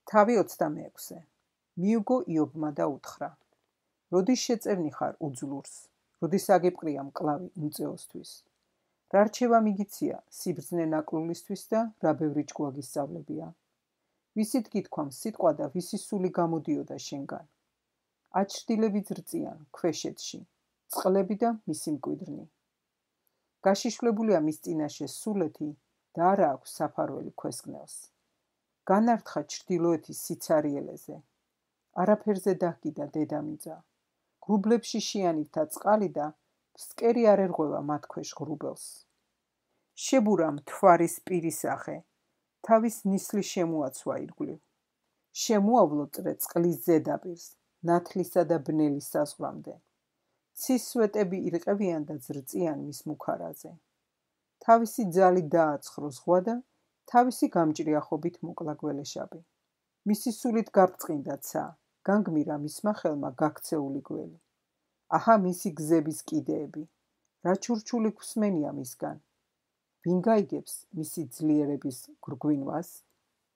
თავი 26. მიუგო იობმა და უთხრა: როდის შეწევნი ხარ უძლურს, როდის აგებყრია მკლავი უმწეოსთვის? რა რჩევა მიგიცია სიბრძნე ნაკლულისთვის და რა ბევრი ჭკუა გისწავლებია? ვისით გითქვამ სიტყვა და ვისი სული გამოდიოდა შენგან? აჩრდილები ძრწიან ქვეშეთში, წყლები და მისი მკვიდრნი. გაშიშვლებულია მის წინაშე სულეთი და არა აქვს საფარველი ქვესკნელს. განართხა ჩრდილოეთის სიცარიელეზე. არაფერზე დაგიდა დედამიწა. ღრუბლებში შიანითა წყალი და ფსკერი არ ერღვევა მათ ქვეშ ღრუბელს. შებურა მთვარის პირისახე, თავის ნისლი შემოაცვა ირგვლივ. შემოავლო წრე წყლის ზედაპირს, ნათლისა და ბნელის საზღვრამდე. ცის სვეტები ირყევიან და ძრწიან მის მუქარაზე. თავისი ძალი დააცხრო ზღვა და თავისი გამჭრიახობით მოკლა გველეშაპი. მისი სულით გაბრწყინდა ცა, განგმირა მისმა ხელმა გაქცეული გველი. აჰა მისი გზების კიდეები, რა ჩურჩული გვსმენია მისგან. ვინ გაიგებს მისი ძლიერების გრგვინვას?